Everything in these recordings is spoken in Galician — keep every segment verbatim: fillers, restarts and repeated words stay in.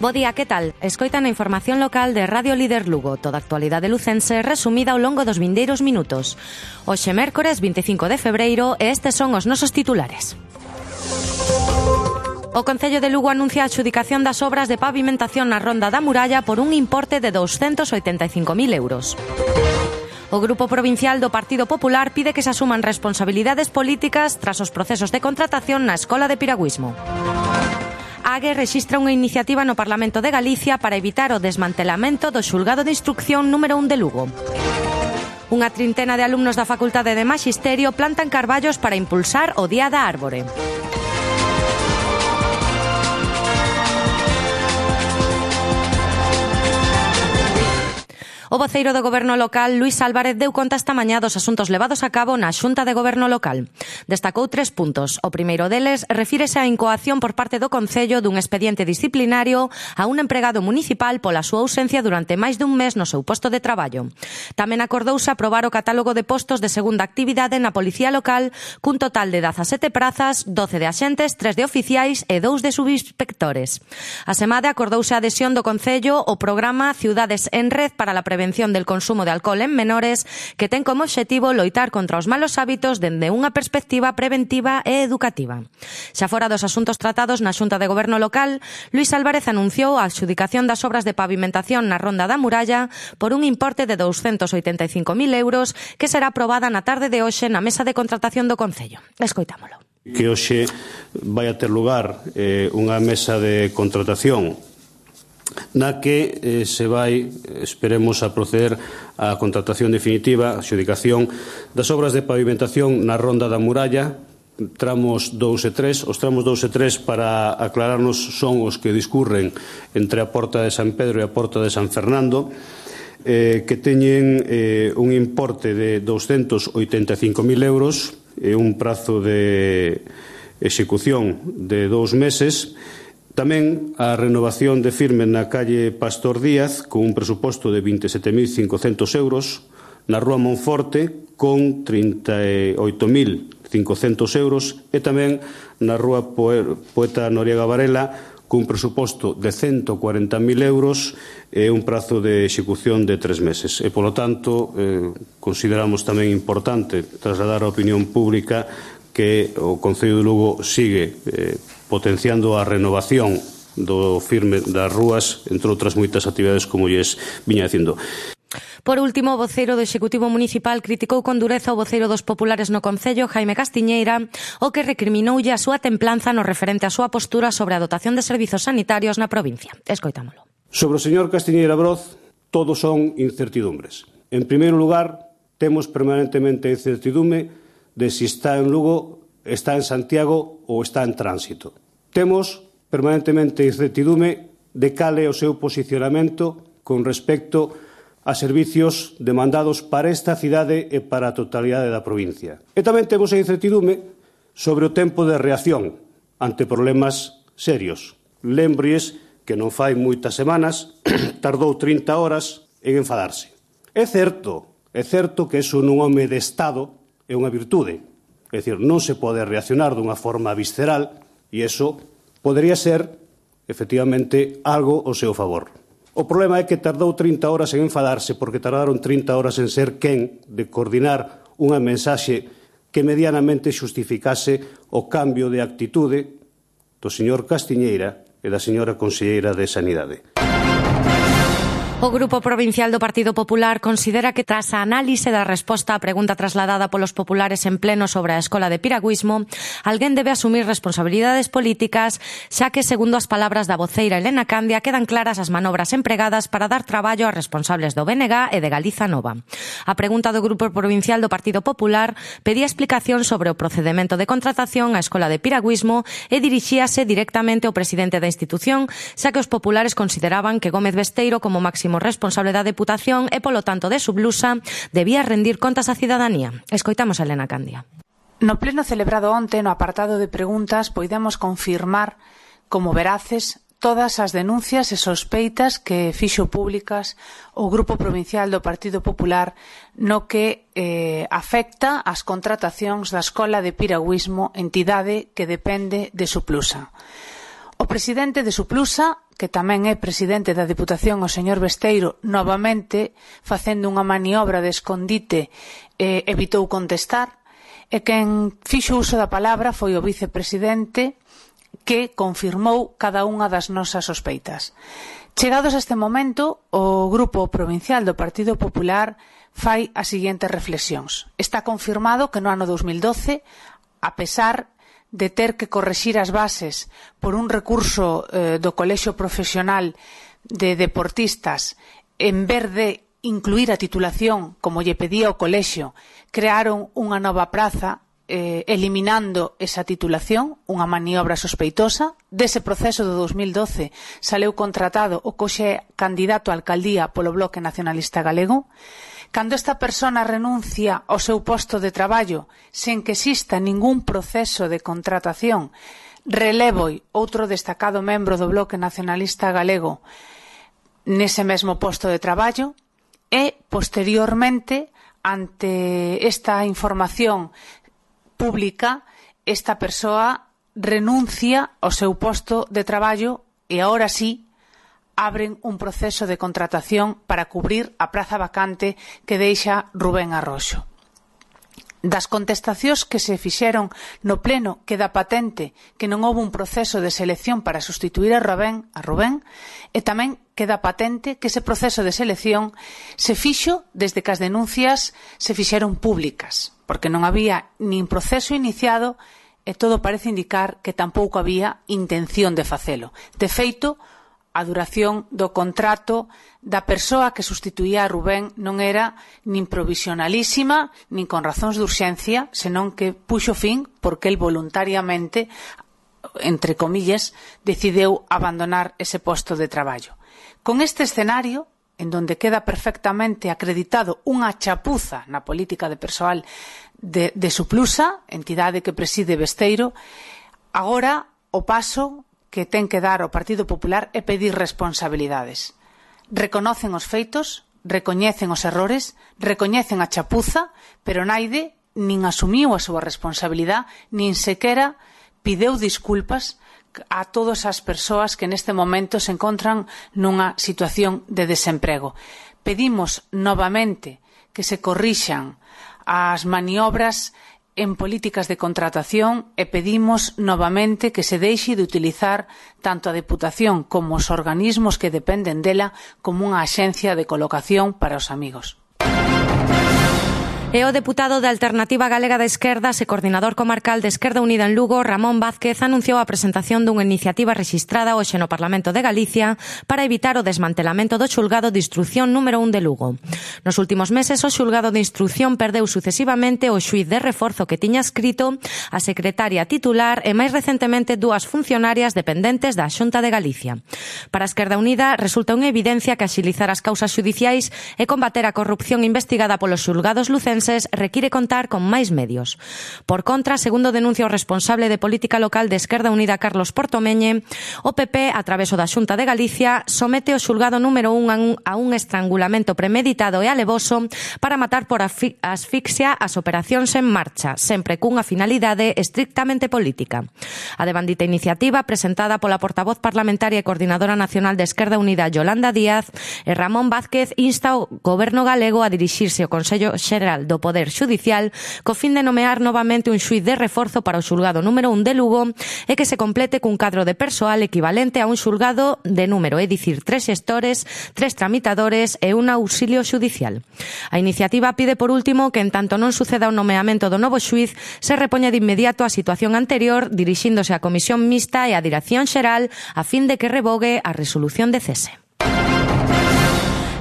Bo día, que tal? Escoitan a información local de Radio Líder Lugo, toda a actualidade lucense resumida ao longo dos vindeiros minutos. Hoxe mércores vinte e cinco de febreiro e estes son os nosos titulares. O Concello de Lugo anuncia a adxudicación das obras de pavimentación na Ronda da Muralla por un importe de douscentos oitenta e cinco mil euros. O Grupo Provincial do Partido Popular pide que se asuman responsabilidades políticas tras os procesos de contratación na Escola de Piragüismo. A AGE rexistra unha iniciativa no Parlamento de Galicia para evitar o desmantelamento do Xulgado de Instrucción número un de Lugo. Unha trintena de alumnos da Facultade de Maxisterio plantan carballos para impulsar o Día da Árbore. O voceiro do Goberno local, Luís Álvarez, deu conta esta mañá dos asuntos levados a cabo na Xunta de Goberno local. Destacou tres puntos. O primeiro deles refírese á incoación por parte do Concello dun expediente disciplinario a un empregado municipal pola súa ausencia durante máis dun mes no seu posto de traballo. Tamén acordouse aprobar o catálogo de postos de segunda actividade na Policía Local cun total de dezasete prazas, doce de axentes, tres de oficiais e dous de subinspectores. A semade acordouse a adhesión do Concello ao programa Ciudades en Red para la Prevención del consumo de alcohol en menores, que ten como obxectivo loitar contra os malos hábitos dende unha perspectiva preventiva e educativa. Xa fora dos asuntos tratados na Xunta de Goberno local, Luís Álvarez anunciou a adxudicación das obras de pavimentación na Ronda da Muralla por un importe de douscentos oitenta e cinco mil euros que será aprobada na tarde de hoxe na mesa de contratación do Concello. Escoitámolo. Que hoxe vai a ter lugar eh, unha mesa de contratación na que eh, se vai, esperemos, a proceder á contratación definitiva, a adxudicación das obras de pavimentación na Ronda da Muralla, tramos dous e tres. Os tramos dous e tres, para aclararnos, son os que discurren entre a Porta de San Pedro e a Porta de San Fernando, eh, que teñen eh, un importe de douscentos oitenta e cinco mil euros e un prazo de execución de dous meses. Tamén a renovación de firme na calle Pastor Díaz con un presuposto de vinte e sete mil cincocentos euros, na Rúa Monforte con trinta e oito mil cincocentos euros e tamén na Rúa Poeta Noriega Varela con un presuposto de cento cuarenta mil euros e un prazo de execución de tres meses. E, polo tanto, eh, consideramos tamén importante trasladar á opinión pública que o Concello de Lugo sigue eh, potenciando a renovación do firme das rúas, entre outras moitas actividades como lles viña dicindo. Por último, o voceiro do Executivo Municipal criticou con dureza o voceiro dos populares no Concello, Jaime Castiñeira, o que recriminoulle a súa templanza no referente á súa postura sobre a dotación de servizos sanitarios na provincia. Escoitámolo. Sobre o señor Castiñeira Broz, todos son incertidumbres. En primeiro lugar, temos permanentemente incertidume de si está en Lugo, está en Santiago ou está en tránsito. Temos permanentemente incertidume de cal é o seu posicionamento con respecto a servicios demandados para esta cidade e para a totalidade da provincia. E tamén temos a incertidume sobre o tempo de reacción ante problemas serios. Lembrolles que non fai moitas semanas tardou trinta horas en enfadarse. É certo, é certo que eso nun home de Estado é unha virtude. É dicir, non se pode reaccionar dunha forma visceral e iso podería ser, efectivamente, algo ao seu favor. O problema é que tardou trinta horas en enfadarse porque tardaron trinta horas en ser quen de coordinar unha mensaxe que medianamente xustificase o cambio de actitude do señor Castiñeira e da señora conselleira de Sanidade. O Grupo Provincial do Partido Popular considera que tras a análise da resposta á pregunta trasladada polos populares en pleno sobre a Escola de Piragüismo, alguén debe asumir responsabilidades políticas, xa que, segundo as palabras da voceira Elena Candia, quedan claras as manobras empregadas para dar traballo aos responsables do B N G e de Galiza Nova. A pregunta do Grupo Provincial do Partido Popular pedía explicación sobre o procedemento de contratación á Escola de Piragüismo e dirixíase directamente ao presidente da institución, xa que os populares consideraban que Gómez Besteiro, como máximo responsable da Deputación e, polo tanto, de Sublusa, debía rendir contas á cidadanía. Escoitamos a Elena Candia. No pleno celebrado onte, no apartado de preguntas, poidemos confirmar como veraces todas as denuncias e sospeitas que fixo públicas o Grupo Provincial do Partido Popular no que eh, afecta as contratacións da Escola de Piragüismo, entidade que depende de Sublusa. O presidente de Suplusa, que tamén é presidente da Diputación, o señor Besteiro, novamente, facendo unha maniobra de escondite, eh, evitou contestar, e quen fixo uso da palabra foi o vicepresidente, que confirmou cada unha das nosas sospeitas. Chegados a este momento, o Grupo Provincial do Partido Popular fai as seguintes reflexións. Está confirmado que no ano dos mil doce, a pesar de ter que correxir as bases por un recurso eh, do Colexio Profesional de Deportistas, en vez de incluir a titulación, como lle pedía o colexio, crearon unha nova praza, eh, eliminando esa titulación, unha maniobra sospeitosa. Dese proceso do dos mil doce saleu contratado o coxe candidato a alcaldía polo Bloque Nacionalista Galego. Cando esta persona renuncia ao seu posto de traballo sen que exista ningún proceso de contratación, relevoi outro destacado membro do Bloque Nacionalista Galego nese mesmo posto de traballo e, posteriormente, ante esta información pública, esta persoa renuncia ao seu posto de traballo e, agora sí, abren un proceso de contratación para cubrir a praza vacante que deixa Rubén Arroxo. Das contestacións que se fixeron no pleno queda patente que non houve un proceso de selección para sustituir a Rubén, a Rubén e tamén queda patente que ese proceso de selección se fixo desde que as denuncias se fixeron públicas, porque non había nin proceso iniciado e todo parece indicar que tampouco había intención de facelo. De feito, a duración do contrato da persoa que sustituía a Rubén non era nin provisionalísima, nin con razóns de urxencia, senón que puxo fin porque el voluntariamente, entre comillas, decideu abandonar ese posto de traballo. Con este escenario, en donde queda perfectamente acreditado unha chapuza na política de persoal de, de Suplusa, entidade que preside Besteiro, agora o paso que ten que dar o Partido Popular é pedir responsabilidades. Reconocen os feitos, recoñecen os errores, recoñecen a chapuza, pero naide nin asumiu a súa responsabilidade, nin sequera pideu disculpas a todas as persoas que neste momento se encontran nunha situación de desemprego. Pedimos novamente que se corrixan as maniobras en políticas de contratación e pedimos novamente que se deixe de utilizar tanto a Deputación como os organismos que dependen dela como unha axencia de colocación para os amigos. E o deputado da Alternativa Galega de Esquerdas e coordinador comarcal de Esquerda Unida en Lugo, Ramón Vázquez, anunciou a presentación dunha iniciativa rexistrada hoxe no Parlamento de Galicia para evitar o desmantelamento do xulgado de instrución número un de Lugo. Nos últimos meses, o xulgado de instrución perdeu sucesivamente o xuíz de reforzo que tiña escrito, a secretaria titular e máis recentemente dúas funcionarias dependentes da Xunta de Galicia. Para a Esquerda Unida resulta unha evidencia que axilizar as causas xudiciais e combater a corrupción investigada polos xulgados lucenses require contar con máis medios. Por contra, segundo denuncia o responsable de política local de Esquerda Unida, Carlos Portomeñe, o P P, a través da Xunta de Galicia, somete o xulgado número un a un estrangulamento premeditado e alevoso para matar por asfixia as operacións en marcha, sempre cunha finalidade estrictamente política. A devandita iniciativa, presentada pola portavoz parlamentaria e coordinadora nacional de Esquerda Unida, Yolanda Díaz, e Ramón Vázquez, insta o Goberno galego a dirixirse ao Consello Xeral do Poder Xudicial co fin de nomear novamente un xuíz de reforzo para o xulgado número un de Lugo e que se complete cun cadro de persoal equivalente a un xulgado de número, é dicir, tres xestores, tres tramitadores e un auxilio xudicial. A iniciativa pide, por último, que en tanto non suceda o nomeamento do novo xuíz, se repoña de inmediato a situación anterior, dirixíndose á Comisión Mixta e á Dirección Xeral a fin de que revogue a resolución de cese.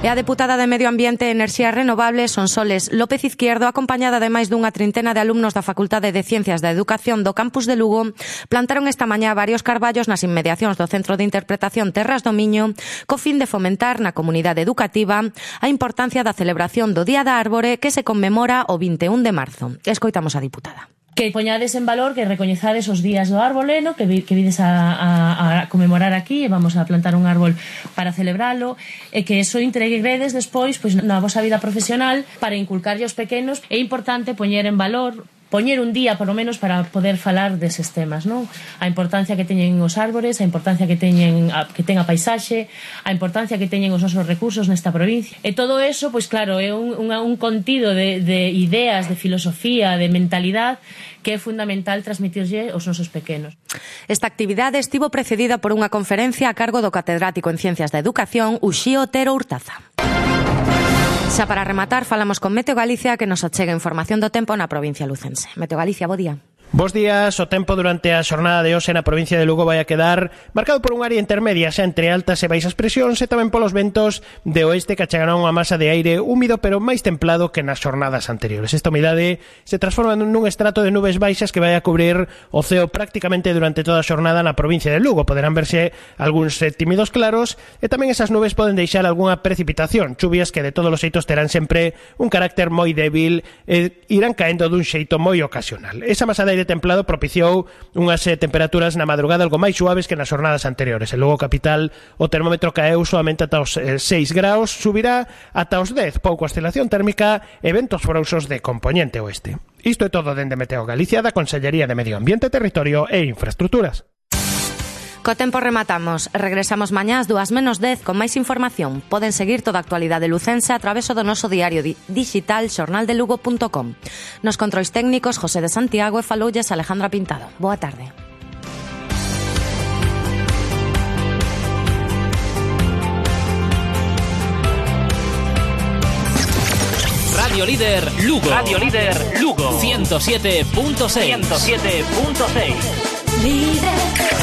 E a deputada de Medio Ambiente e Enerxías Renovables, Sonsoles López Izquierdo, acompañada de máis dunha trintena de alumnos da Facultade de Ciencias da Educación do campus de Lugo, plantaron esta mañá varios carballos nas inmediacións do Centro de Interpretación Terras do Miño, co fin de fomentar na comunidade educativa a importancia da celebración do Día da Árbore que se conmemora o vinte e un de marzo. Escoitamos a diputada. Que poñades en valor, que recoñezades os días do árbol, no? que, vi, que vides a, a, a conmemorar aquí, e vamos a plantar un árbol para celebralo, e que eso integredes despois pois, na vosa vida profesional para inculcarlle aos pequenos. É importante poñer en valor poñer un día, por lo menos, para poder falar deses temas, non? A importancia que teñen os árbores, a importancia que teñen a, que ten a paisaxe, a importancia que teñen os nosos recursos nesta provincia. E todo eso, pois claro, é un, un, un contido de, de ideas, de filosofía, de mentalidade que é fundamental transmitirlle aos nosos pequenos. Esta actividade estivo precedida por unha conferencia a cargo do catedrático en Ciencias da Educación, Uxío Otero Hurtaza. Xa para rematar, falamos con Meteo Galicia que nos achega información do tempo na provincia lucense. Meteo Galicia, bo día. Bos días, o tempo durante a xornada de hoxe na provincia de Lugo vai a quedar marcado por un área intermedia xa entre altas e baixas presións e tamén polos ventos de oeste que achegarán unha masa de aire húmido pero máis templado que nas xornadas anteriores. Esta humidade se transforma nun estrato de nubes baixas que vai a cubrir o ceo prácticamente durante toda a xornada na provincia de Lugo. Poderán verse algúns tímidos claros e tamén esas nubes poden deixar algunha precipitación, chuvias que de todos os xeitos terán sempre un carácter moi débil e irán caendo dun xeito moi ocasional. Esa masa de aire templado propiciou unhas eh, temperaturas na madrugada algo máis suaves que nas xornadas anteriores. En Lugo capital o termómetro caeu solamente ata os eh, seis graus, subirá ata os dez, pouca oscilación térmica e ventos frouxos de compoñente oeste. Isto é todo dende Meteo Galicia da Consellería de Medio Ambiente, Territorio e Infraestructuras. Co tempo rematamos. Regresamos mañá ás dúas menos dez con máis información. Poden seguir toda a actualidade lucense a través do noso diario di- digital xornal de lugo punto com. Nos controis técnicos José de Santiago e faloulles Alejandra Pintado. Boa tarde. Radio Líder Lugo. Radio Líder Lugo. ciento siete punto seis. ciento siete punto seis. Líder.